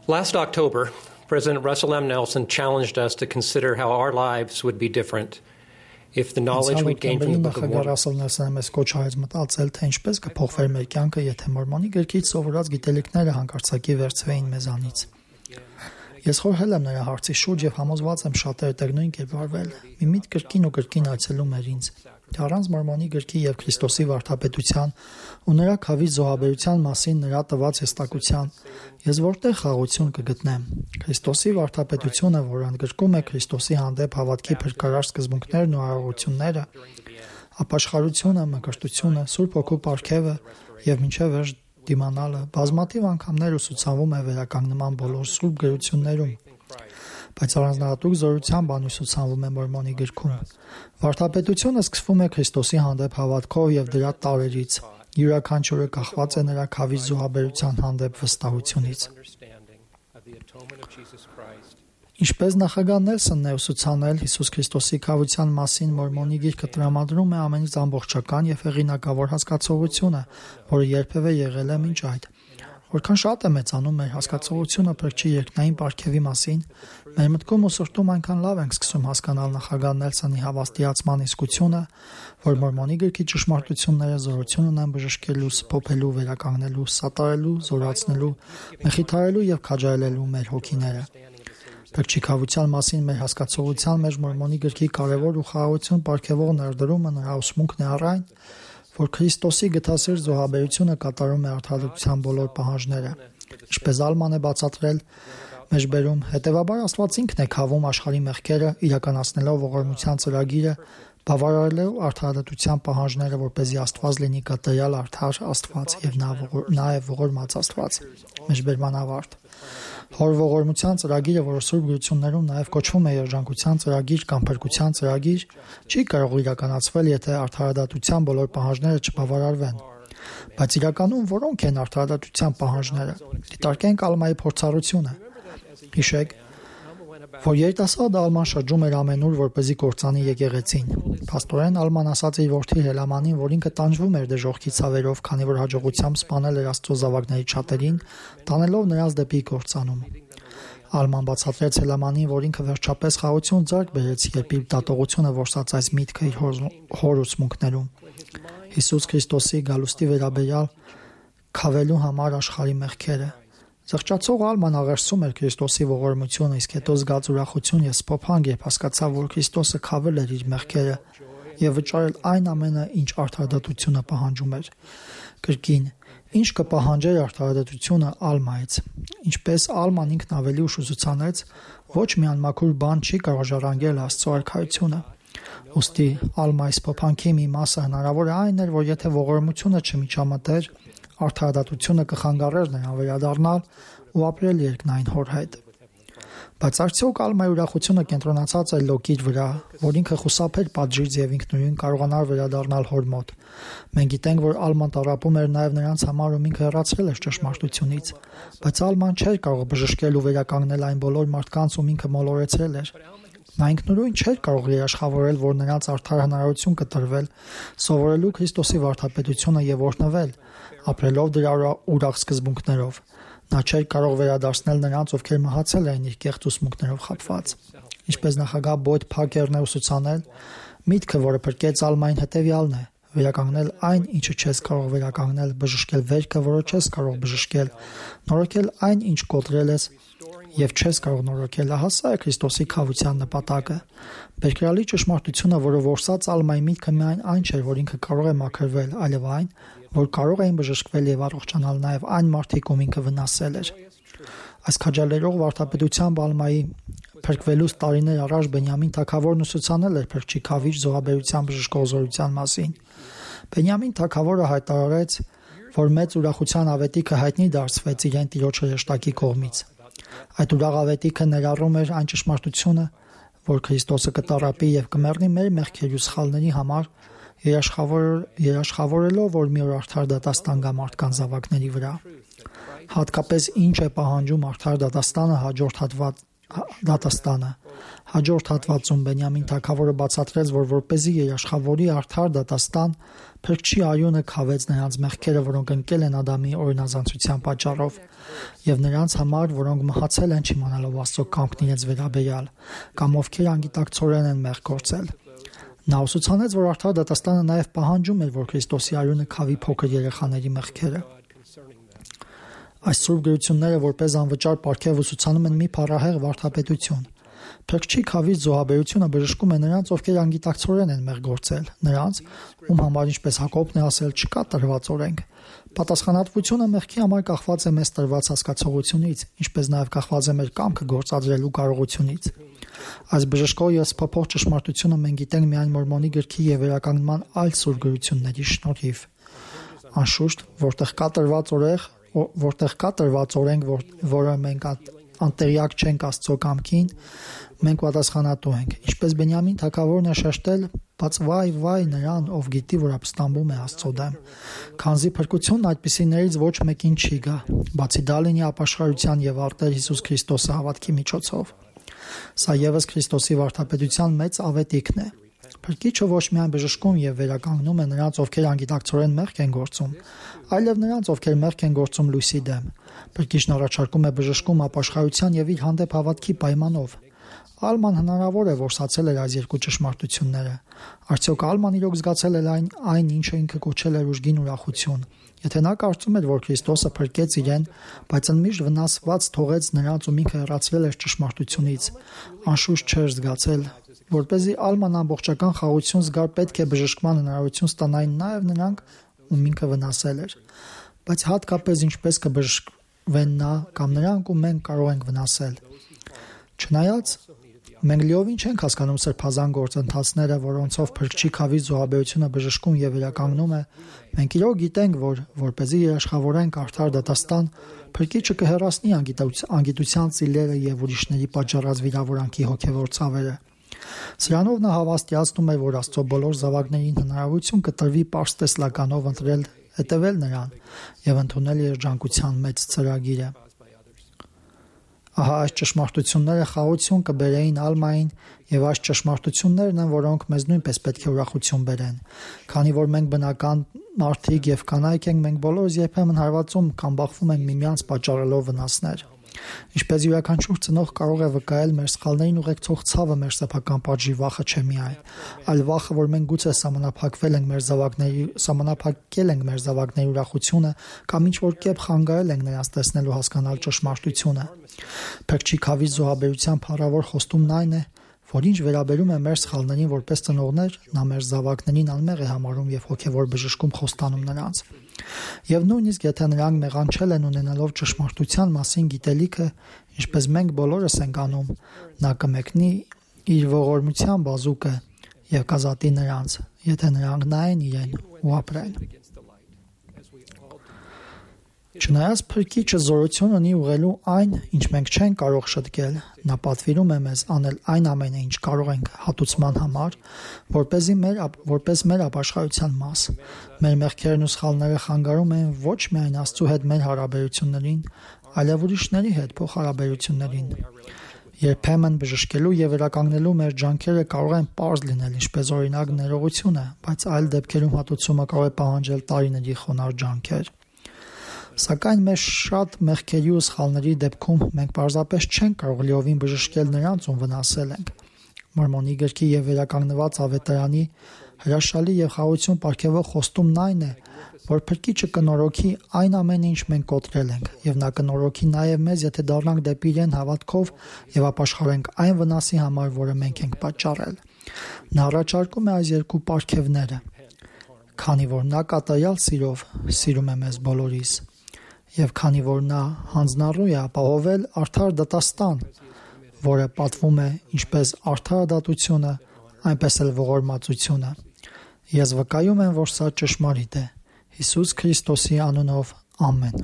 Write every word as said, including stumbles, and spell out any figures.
Last October, President Russell M. Nelson challenged us to consider how our lives would be different if the knowledge we'd gained from the Book of Mormon. Ռասել Նելսոնը մեզ կոչ արեց մտածել, թե ինչպես կփոխվեր մեր կյանքը, եթե Մորմոնի գրքից սովորած գիտելիքները հանկարծակի վերցվեին մեզանից։ Ես խորհել եմ նրա հարցի շուրջ եւ համոզված եմ շատերը տեգնույն կերպ արվել։ Մի միտ կրկին ու կրկին այցելում էր ինձ։ Առանց Մորմոնի գրքի եւ Քրիստոսի վարդապետության ու նրա քավի զոհաբերության մասին նրա տված հստակության ես որտեղ խաղաղություն կգտնեմ։ Քրիստոսի վարդապետությունը, որ ընդգրկում է Քրիստոսի հանդեպ հավատքի փրկարար սկզբունքներն ու արարողությունները, ապաշխարությունը, մկրտությունը, Սուրբ Հոգու պարգևը եւ մինչեւ վերջ դիմանալը բազմաթիվ անգամներ ուսուցանվում է վերականգնման բոլոր սուրբ գրություններում, բայց առանձնահատուկ զորությամբ անուսուցանվում է Մորմոնի գրքում։ Վարդապետությունը սկսվում է Քրիստոսի հանդեպ հավատքով եւ դրա տարերից։ Յուրաքանչյուրը կախված է նրա քավի զոհաբերության հանդեպ վստահությունից։ Ինչպես նախագահ Նելսոնն է ուսուցանել, Հիսուս Քրիստոսի քավության մասին Մորմոնի գիրքը տրամադրում է ամենից ամբողջական եւ հեղինակավոր հասկացողությունը, որը երբևէ եղել է մինչ այդ։ Որքան շատ է մեծանում մեր հասկացողությունը փրկչի երկնային պարգևի մասին, մեր մտքում ու սրտում այնքան լավ ենք սկսում հասկանալ նախագահ Նելսոնի հավաստիացման իսկությունը, որ Մորմոնի գրքի ճշմարտությունները զորություն ունեն բժշկելու, սփոփելու, վերականգնելու, սատարելու, զորացնելու, մխիթարելու եւ քաջայելելու մեր հոգիները։ Փրկչի քավության մասին մեր հասկացողության մեջ Մորմոնի գրքի կարևոր ու խաղաղություն պարգևող ներդրումը նրա ուսմունքն է առ այն, որ Քրիստոսի գթասեր զոհաբերությունը կատարում է արդարության բոլոր պահանջները։ Ինչպես Ալման է բացատրել, մեջբերում, հետևաբար Աստված ինքն է քավում աշխարհի մեղքերը, իրականացնելով ողորմության ծրագիրը, բավարարելով արդարության պահանջները, որպեսզի Աստված լինի կատարյալ արդար Աստված եւ նաեւ ողորմած Աստված։ Մեջբերման ավարտ։ Հոր ողորմության ծրագիրը, որը Սուրբ գրություններում նաև կոչվում է երջանկության ծրագիր կամ փրկության ծրագիր, չի կարող իրականացվել, եթե արդարադատության բոլոր պահանջները չբավարարվեն։ Բայց իրականում որոնք են արդարադատության պահանջները։ Դիտարկենք Ալմայի փորձառությունը։ Հիշեք, որ երիտասարդ Ալման շրջում էր ամենուր, որպեսզի կործանի եկեղեցին։ Փաստորեն Ալման ասաց իր որդի Հելամանին, որ ինքը տանջվում էր դժոխքի ցավերով, քանի որ հաջողությամբ սպանել էր Աստծո զավակների շատերին, տանելով նրանց դեպի կործանում։ Ալման բացատրեց Հելամանին, որ ինքը վերջապես խաղաղություն ձեռք բերեց, երբ իր դատողությունը որսաց այս միտքը իր հոր ուսմունքներում։ Հիսուս Քրիստոսի գալուստի վերաբերյալ քավելու համար աշխարհի մեղքերը։ Զղջացող Ալման աղերսում էր Քրիստոսի ողորմությունը, իսկ հետո զգաց ուրախություն եւ սփոփանք, երբ հասկացավ, որ Քրիստոսը քավել էր իր մեղքերը եւ վճարել այն ամենը, ինչ արդարադատությունը պահանջում էր։ Կրկին, ինչ կպահանջեր արդարադատությունը Ալմայից։ Ինչպես Ալման ինքն ավելի ուշ ուսուցանեց, ոչ մի անմաքուր բան չի կարող ժառանգել Աստծո արքայությունը։ Ոստի Ալմայի սփոփանքի մի մասը հնարավոր է այն էր, որ եթե ողորմությունը չմիջամտեր, արդարադատությունը կխանգարեր նրան վերադառնալ ու ապրել երկնային հոր հետ։ Բայց արդյոք Ալմայի ուրախությունը կենտրոնացած էր Լոկի վրա, որ ինքը խուսափեր պատժից եւ ինքնուրույն կարողանար վերադառնալ հոր մոտ։ Մենք գիտենք, որ Ալման տառապում էր նաեւ նրանց համար, ում ինքը հեռացրել էր ճշմարտությունից, բայց Ալման չէր կարող բժշկել ու վերականգնել այն բոլոր մարդկանց, ում ինքը մոլորեցրել էր։ Նա ինքնուրույն չէր կարող երաշխավորել, որ նրանց արդար հնարավորություն կտրվել, սովորելու Քրիստոսի վարդապետությունը եւ օրհնվել, ապրելով դրա ուրախ սկզբունքներով։ Նա չէր կարող վերադարձնել նրանց, ովքեր մահացել էին իր կեղծ ուսմունքներով խաբված։ Ինչպես նախագահ Բոյդ Փակերն է ուսուցանել, միտքը, որը փրկեց Ալմային, հետևյալն է. վերականգնել այն, ինչը չես կարող վերականգնել, բժշկել վերքը, որը չես կարող բժշկել, նորոգել այն, ինչ կոտրել ես եւ չես կարող նորոգել։ Ահա սա է Քրիստոսի քավության նպատակը։ Բերկրալի ճշմարտությունը, որը որսաց Ալմայի միտքը, միայն այն չէր, որ ինքը կարող է մաքրվել, այլև այն, որ կարող էին բժշկվել եւ առողջանալ նաեւ այն մարդիկ, ում ինքը վնասել էր։ Այս քաջալերող վարդապետությամբ Ալմայի փրկվելուց տարիներ առաջ Բենյամին թագավորն ուսուցանել էր փրկչի քավիչ զոհաբերության բժշկող զորության մասին։ Բենյամին թագավորը հայտարարեց, որ մեծ ուրախության ավետիքը հայտնի դարձվեց իրեն տիրոջ հրեշտակի կողմից։ Այդ ուրախ ավետիքը ներառում էր այն ճշմարտությունը, որ Քրիստոսը կտառապի եւ կմեռնի մեր մեղքերի ու սխալների համար, երաշխավորելով, որ մի օր արդար դատաստան գա մարդկանց զավակների վրա։ Հատկապես ինչ է պահանջում արդար դատաստանը հաջորդ հատված դատաստանը։ Հաջորդ հատվածում Բենյամին թագավորը բացատրեց, որ որպեսզի երաշխավորի արդար դատաստան, Փրկչի արյունը քավեց նրանց մեղքերը, որոնք ընկել են Ադամի օրինազանցության պատճառով, եւ նրանց համար, որոնք մահացել են չիմանալով Աստծո կամքն իրենց վերաբերյալ, կամ ովքեր անգիտակցորեն են մեղք գործել։ Նա ուսուցանեց, որ արդար դատաստանը նաև պահանջում էր, որ Քրիստոսի արյունը քավի փոքր երեխաների մեղքերը։ Այս սուրբ գրությունները որպես անվճար պարգև ուսուցանում են մի փառահեղ վարդապետություն։ Փրկչի քավից զոհաբերությունը բժշկում է նրանց, ովքեր անգիտակցորեն են մեղք գործել, նրանց, ում համար, ինչպես Հակոբն է ասել, չկա տրված օրենք։ Պատասխանատվությունը մեղքի համար կախված է մեզ տրված հասկացողությունից, ինչպես նաև կախված է մեր կամքը գործադրելու կարողությունից։ Այս բժշկող և սփոփող ճշմարտությունը մենք գիտենք միայն Մորմոնի գրքի և վերականգնման այլ սուրբ գրությունների շնորհիվ։ Անշուշտ, որտեղ կա տրված օրենք, որտեղ կա տրված օրենք, որը մենք անտեղյակ չենք Աստծո կամքին, մենք պատասխանատու ենք։ Ինչպես Բենյամին թագավորն է շեշտել, բայց վայ, վայ նրան, ով գիտի, որ ապստամբում է Աստծո դեմ, քանզի փրկությունն այդպիսիներից ոչ մեկին չի գա, բացի դա լինի ապաշխարության եւ արտեր Հիսուս Քրիստոսի հավատքի միջոցով։ Սա ևս Քրիստոսի վարդապետության մեծ ավետիքն է։ Փրկիչը ոչ միայն բժշկում եւ վերականգնում է նրանց, ովքեր անգիտակցորեն մեղք են գործում, այլև նրանց, ովքեր մեղք են գործում լույսի դեմ։ Փրկիչն առաջարկում է բժշկում ապաշխարության եւ իր հանդեպ հավատքի պայմանով։ Ալման հնարավոր է, որ ստացել էր այս երկու ճշմարտությունները։ Արդյոք Ալման իրոք զգացել էր այն, այն ինչը ինքը կոչել էր ուժգին ուրախություն։ Եթե նա կարծում էր, որ Քրիստոսը փրկեց իրեն, բայց ընդմիշտ վնասված թողեց նրանց, ում ինքը հեռացվել էր ճշմարտությունից, անշուշտ չէր զգացել, որպեսզի Ալման ամբողջական խաղաղություն զգար, պետք է բժշկման հնարավորություն ստանային նաև նրանք, ում ինքը վնասել էր։ Բայց հատկապես ինչպես կբժշկվեն նա կամ նրանք, ում մենք կարող ենք վնասել։ Չնայած մենք լիովին չենք հասկանում սրբազան գործընթացները, որոնցով Փրկչի քավի զոհաբերությունը բժշկում եւ վերականգնում է, մենք իրոք գիտենք, որ որպեսզի երաշխավորենք արդար դատաստան, Փրկիչը կհեռացնի անգիտության ծիլերը եւ ուրիշների պատճառած վիրավորանքի հոգեվոր ցավերը։ Սրանով նա հավաստիացնում է, որ Աստծո բոլոր զավակներին հնարավորություն կտրվի պարզ տեսլականով ընտրել, հետևել նրան եւ ընդունել երջանկության մեծ ծրագիրը։ Ահա այս ճշմարտությունները խաղաղություն կբերեին Ալմային, եւ այս ճշմարտություններն են, որոնք մեզ նույնպես պետք է ուրախություն բերեն։ Քանի որ մենք բնական մարդիկ եւ կանայք ենք, մենք բոլորս երբեմն հարվածում կամ բախվում ենք միմյանց պատճառելով վնասներ։ Ինչպես յուրաքանչյուր ծնող կարող է վկայել, մեր սխալներին ուղեկցող ցավը մեր սեփական պատժի վախը չէ միայն, այլ վախը, որ մենք գուցե սահմանափակվել ենք մեր զավակների, սահմանափակել ենք մեր զավակների ուրախությունը կամ ինչ-որ կերպ խանգարել ենք նրանց տեսնել ու հասկանալ ճշմարտությունը։ Փրկչի քավի զոհաբերության փառավոր խոստումն այն է, որ ինչ վերաբերում է մեր սխալներին որպես ծնողներ, նա մեր զավակներին անմեղ է համարում եւ հոգեվոր բժշկում խոստանում նրանց։ Եվ նույնիսկ եթե նրանք մեղանչել են ունենալով ճշմարտության մասին գիտելիքը, ինչպես մենք բոլորս ենք անում, նա կմեկնի իր ողորմության բազուկը եւ կազատի նրանց, եթե նրանք նայեն իրեն ու ապրեն։ Չնայած Փրկիչը զորություն ունի ուղղելու այն, ինչ մենք չենք կարող շտկել, նա պատվիրում է մեզ անել այն ամենը, ինչ կարող ենք հատուցման համար, որպեսզի մեր որպես մեր ապաշխարության մաս։ Մեր մեղքերն ու սխալները խանգարում են ոչ միայն Աստծո հետ մեր հարաբերություններին, այլև ուրիշների հետ փոխհարաբերություններին։ Երբեմն բժշկելու եւ վերականգնելու մեր ջանքերը կարող են պարզ լինել, ինչպես օրինակ ներողությունը, բայց այլ դեպքերում հատուցումը կարող է պահանջել տարիների խոնարհ ջանքեր։ Սակայն մեր շատ մեղքերի ու սխալների դեպքում մենք պարզապես չենք կարող լիովին բժշկել նրանց, ում վնասել ենք։ Մորմոնի գրքի եւ վերականգնված ավետարանի հրաշալի եւ խաղաղություն պարգևող խոստումն այն է, որ Փրկիչը կնորոգի այն ամենը, ինչ մենք կոտրել ենք, եւ նա կնորոգի նաեւ մեզ, եթե դառնանք դեպի իրեն հավատքով եւ ապաշխարենք այն վնասի համար, որը մենք ենք պատճառել։ Նա առաջարկում է այս երկու պարգևները, քանի որ նա կատարյալ սիրով սիրում է մեզ բոլորիս։ Եվ քանի որ նա հանձնառու է ապահովել արդար դատաստան, որը պատվում է ինչպես արդարադատությունը, այնպես էլ ողորմածությունը։ Ես վկայում եմ, որ սա ճշմարիտ է։ Հիսուս Քրիստոսի անունով ամեն։